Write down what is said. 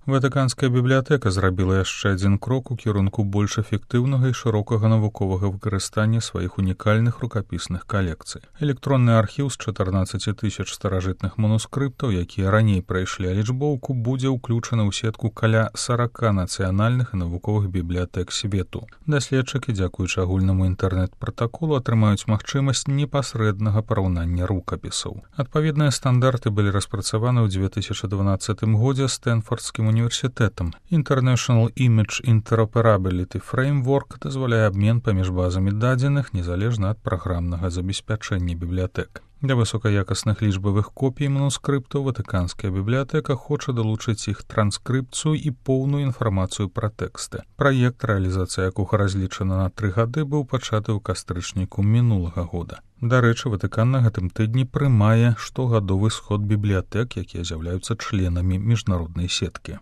Ватыканская бібліятэка зрабіла яшчэ адзін крок у кірунку больш эфектыўнага і шырокага навуковага выкарыстання сваіх унікальных рукапісных калекцый. Электронны архіў з 14 000 старажытных манускрыптаў, якія раней прайшлі алічбоўку, будзе ўключаны ў сетку каля 40 нацыянальных і навуковых бібліятэк свету. Даследчыкі, дзякуючы агульнаму інтэрнэт-пратаколу, атрымаюць магчымасць непасрэднага параўнання рукапісаў. Адпаведныя стандарты былі распрацаваны ў 2012 годзе Стэнфордскім універсітэтам. International Image Interoperability Framework дазваляе абмен паміж базамі дадзеных незалежна ад праграмнага забеспячэння бібліятэк. Для высокаякасных лічбавых копій манускрыптаў Ватыканская бібліятэка хоча далучыць іх транскрыпцыю і поўную інфармацыю пра тэксты. Праект, рэалізацыя якога разлічана на 3 гады, быў пачаты ў кастрычніку мінулага года. Дарэчы, Ватыкан на гэтым тыдні прымае штогадовы сход бібліятэк, якія з'яўляюцца членамі міжнароднай сеткі.